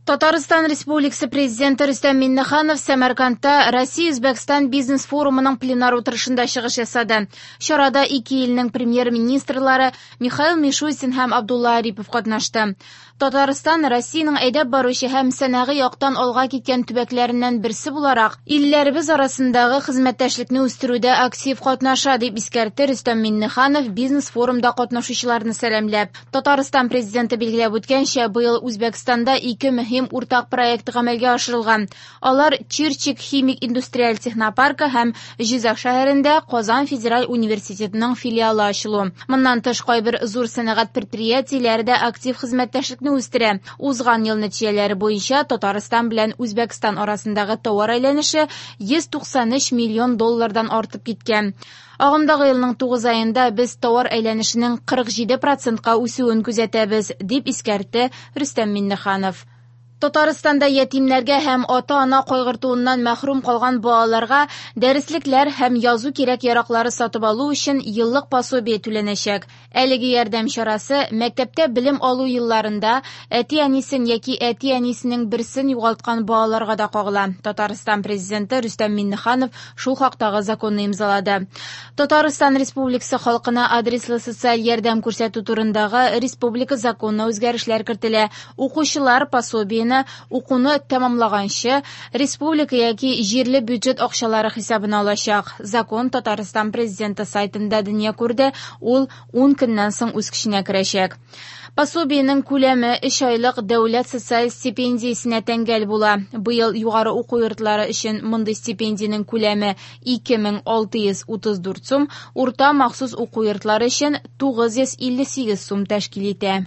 Татарстан Республикасы Президенты Рөстәм Миңнеханов Сәмәркандта Россия-Үзбәкстан бизнес-форумының пленар утырышында чыгыш ясады. Чарада ике илнең премьер-министрлары Михаил Мишустин һәм Абдулла Арипов катнашты. Татарстан Россиянең әйдәп баручы һәм сәнәгый яктан алга киткән төбәкләреннән берсе буларак, илләребез арасындагы хезмәттәшлекне үстерүдә актив катнаша, дип искәртте Рөстәм Миңнеханов бизнес-форумда катнашучыларны сәламләп. Татарстан Президенты билгеләп үткәнчә, быел Үзбәкстанда ике мөһим уртак проект гамәлгә ашырылган. Алар Чирчик химик индустриаль технопаркы һәм Җизак шәһәрендә Казан федераль университетының филиалы ачылу. Моннан тыш, кайбер зур сәнәгать предприятиеләре дә актив хезмәттәшлекне үстерә. Узган ел нәтиҗәләре буенча Татарстан белән Үзбәкстан арасындагы товар әйләнеше 193 миллион доллардан артып киткән. Агымдагы елның 9 аенда без товар әйләнешенең 47 процентка үсүен күзәтәбез, дип искәртте Рөстәм Миңнеханов. Татарстанда ятимнәргә һәм ата-ана кайгыртуыннан мәхрүм калган балаларга дәреслекләр һәм язу кирәк-яраклары сатып алу өчен еллык пособие түләнәчәк. Әлеге ярдәм чарасы мәктәптә белем алу елларында әти-әнисен яки әти-әнисенең берсен югалткан балаларга да кагыла. Татарстан Президенты Рөстәм Миңнеханов шул хактагы законны имзалады. Татарстан Республикасы халкына адреслы социаль ярдәм күрсәтү турындагы республика законына үзгәрешләр кертелә. Укучылар пособиене укуны тәмамлаганчы республика яки җирле бюджет акчалары хисабына алачак. Закон Татарстан Президенты сайтында дөнья күрде, ул 10 көннән соң үз көченә керәчәк. Пособиенең күләме 3 айлык дәүләт социаль стипендиясенә тәңгәл була. Быел югары уку йортлары өчен мондый стипендиянең күләме 2634 сум, урта махсус уку йортлары өчен 958 сум тәшкил итә.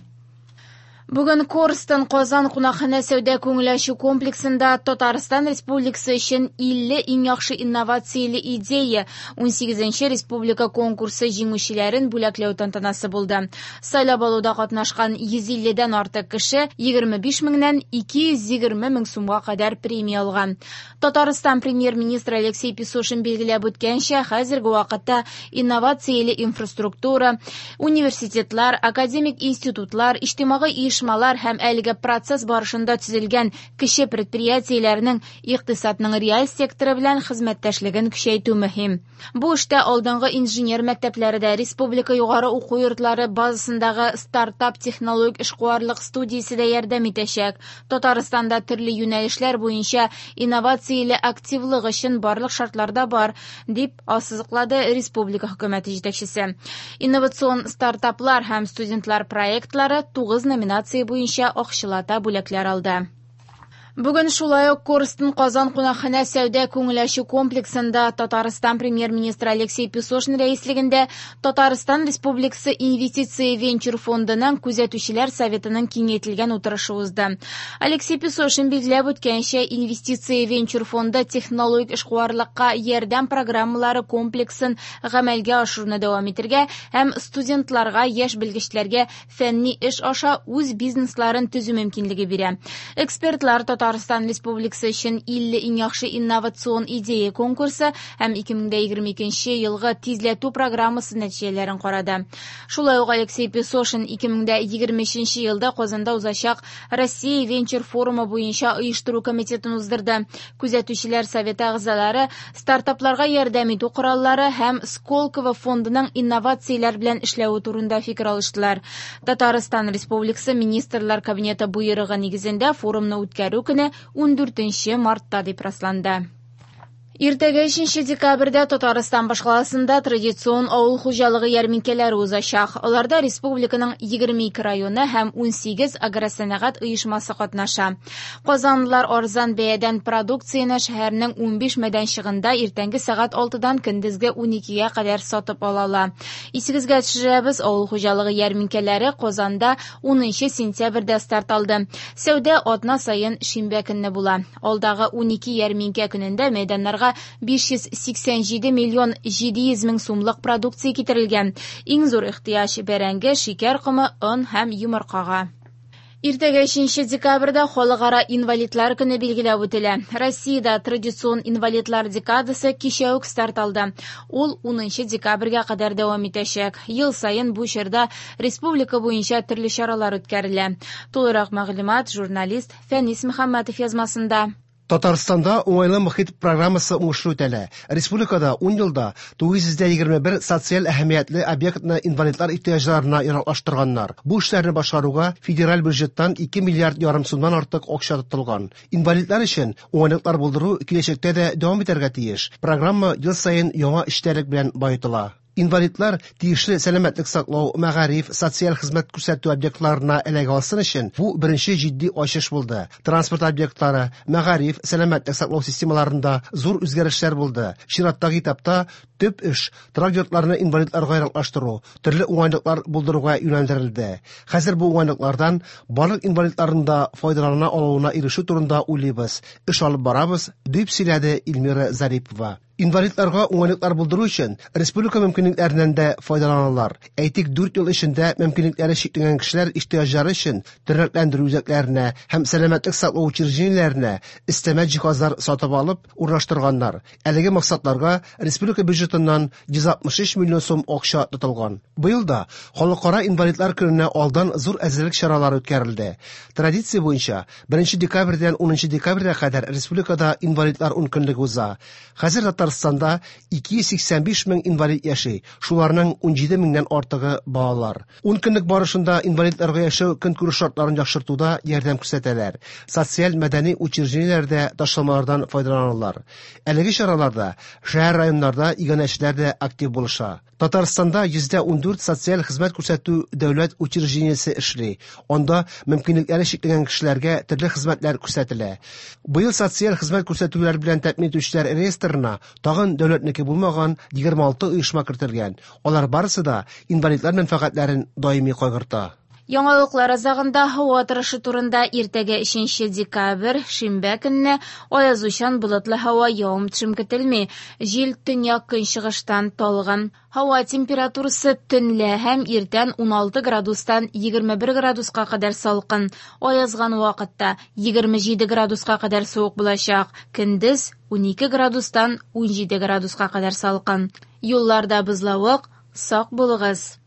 Бүген Корстон Казан кунакханә сәүдә күңел ачу комплексында Татарстан Республикасы өчен 50 иң яхшы инновацияле идея 18нче республика конкурсы җиңүчеләрен бүләкләү тантанасы булды. Сайлап алуда катнашкан 150дән артык кеше 25 меңнән 220 мең сумга кадәр премия алган. Татарстан премьер-министры Алексей Песошин билгеләп үткәнчә, хәзерге вакытта инновацияле инфраструктура, университетлар, академик институтлар, иҗтимагый оешмалар һәм әлеге процесс барышында төзелгән кече предприятиеләрнең икътисадның реаль секторы белән хезмәттәшлеген көчәйтү мөһим. Бу эштә алдынгы инженер мәктәпләре дә, республика югары уку йортлары базасындагы стартап технологик эшкуарлык студиясе дә ярдәм итәчәк. Татарстанда төрле юнәлешләр буенча инновацияле активлык өчен барлык шартлар да бар, дип ассызыклады республика хөкүмәте җитәкчесе. Инновацион стартаплар һәм студентлар проектлары 9 номинация буенча акчалата бүләкләр алды. Бүген шулай ук Корстон Казан кунакханә сәүдә күңел ачу комплексында Татарстан премьер-министры Алексей Песошин рәислегендә Татарстан Республикасы инвестиция венчур фондының күзәтүчеләр советының киңәйтелгән утырышы узды. Алексей Песошин билгеләп үткәнчә, инвестиция венчур фонды технологик эшкуарлыкка ярдәм программалары комплексын гамәлгә ашыруны дәвам итәргә һәм студентларга, яшь белгечләргә фәнни эш аша үз бизнесларын төзү мөмкинлеге бирә. Экспертлар Татарстан Республикасы өчен 50 иң яхшы инновацион идея конкурсы һәм 2022 елгы тизләтү программасы нәтиҗәләрен карады. Шулай ук Алексей Песошин 2023 елда Казанда узачак Россия венчур форумы буенча оештыру комитетын уздырды. Күзәтүчеләр советы әгъзалары стартапларга ярдәм итү кораллары һәм Сколково фондының инновацияләр белән эшләве турында фикер алыштылар. Татарстан Республикасы Министрлар Кабинеты буйрыгы нигезендә форумны үткәрү көне 14 мартта дип расланды. Иртәгә 3 декабрьдә Татарстан башкаласында традицион авыл хуҗалыгы ярминкәләре узачак. Аларда республиканың 22 районы һәм 18 агросәнәгать оешмасы катнаша. Казанлылар арзан бәядән продукцияне шәһәрнең 15 мәйданчыгында иртәнге сәгать 6-дан көндезге 12-гә кадәр сатып ала ала. Исегезгә төшерәбез, авыл хуҗалыгы ярминкәләре Казанда 10 сентябрьдә старт алды. Сәүдә атна саен шимбә көнне була. Алдагы 12 ярминкә көнендә мәйданнарга 587 миллион 700 мең сумлык продукция китерелгән. Иң зур ихтыяҗ бәрәңге, шикәр комы, он һәм йомыркага. Иртәгә 3 декабрьдә Халыкара инвалидлар көне билгеләп үтелә. Россиядә традицион инвалидлар декадасы кичә үк старт алды. Ул 10 декабрьгә кадәр дәвам итәчәк. Ел саен бу чорда республика буенча төрле чаралар үткәрелә. Тулырак мәгълүмат журналист Фәнис Мөхәммәтов язмасында. Татарстанда уңайлы мохит программасы уңышлы үтәлә. Республикада 10 елда 921 социаль әһәмиятле объектны инвалидлар ихтыяҗларына яраклаштырганнар. Бу эшләрне башкаруга федераль бюджеттан 2 миллиард ярым сумнан артык акча тотылган. Инвалидлар өчен уңайлыклар булдыру киләчәктә дә дәвам итәргә тиеш. Программа ел саен яңа эчтәлек белән баетыла. Инвалидлар тиешле сәламәтлек саклау, мәгариф, социаль хезмәт күрсәтү объектларына эләгә алсын өчен бу беренче җитди ачыш булды. Транспорт объектлары, мәгариф, сәламәтлек саклау системаларында зур үзгәрешләр булды. Чираттагы этапта төп эш торак йортларны инвалидларга яраклаштыру, төрле уңайлыклар булдыруга юнәлдерелде. Хәзер бу уңайлыклардан барлык инвалидларның да файдалана алуына ирешү турында уйлыйбыз. Эш алып барабыз, дип сөйләде Эльмира Зарипова. Инвалидларга уңайлыклар булдыру өчен республика мөмкинлекләреннән дә файдаланалар. Әйтик, 4 ел эчендә мөмкинлекләре чикләнгән кешеләр ихтыяҗлары өчен тернәкләндерү үзәкләренә һәм сәламәтлек саклау учреждениеләренә өстәмә җиһазлар сатып алып урнаштырганнар. Әлеге максатларга республика бюджетыннан 163 миллион сум акча тотылган. Быел да Халыкара инвалидлар көненә алдан зур әзерлек чаралары үткәрелде. Традиция буенча 1 декабрьдән 10 декабрьгә кадәр республикада инвалидлар ункөнлеге уза. Хәзер Татарстанда 285 мең инвалид яши, шуларның 17 меңнән артыгы балалар. Ун көнлек барышында инвалидларга яшәү көнкүреш шартларын яхшыртуда ярдәм күрсәтәләр. Социаль мәдәни учреждениеләрдә ташламалардан файдаланалар. Әлеге чараларда шәһәр районнарда иганәчеләр дә актив булыша. Татарстанда 14% социаль хезмәт күрсәтү дәүләт учреждениесе эшли. Анда мөмкинлекләре чикләнгән кешеләргә төрле хезмәтләр күрсәтелә. Быел социаль хезмәт күрсәтүләр белән тәэмин итүчеләр реестрына тагын дәүләтнеке булмаган 26 оешма кертелгән. Алар барысы да инвалидлар мәнфәгатьләрен даими кайгырта. Яңалыклар азагында һава торышы турында иртәгә 3 декабрь, шимбә көнне аязучан болытлы һава, явым-төшем көтелми. Җил төньяк көнчыгыштан талгын. Һава температурасы төнлә һәм иртән 16 градустан 21 градуска кадәр салкын. Аязган вакытта 27 градуска кадәр суык булачак. Көндез 12 градустан 17 градуска кадәр салкын. Юлларда бозлавык, сак булыгыз.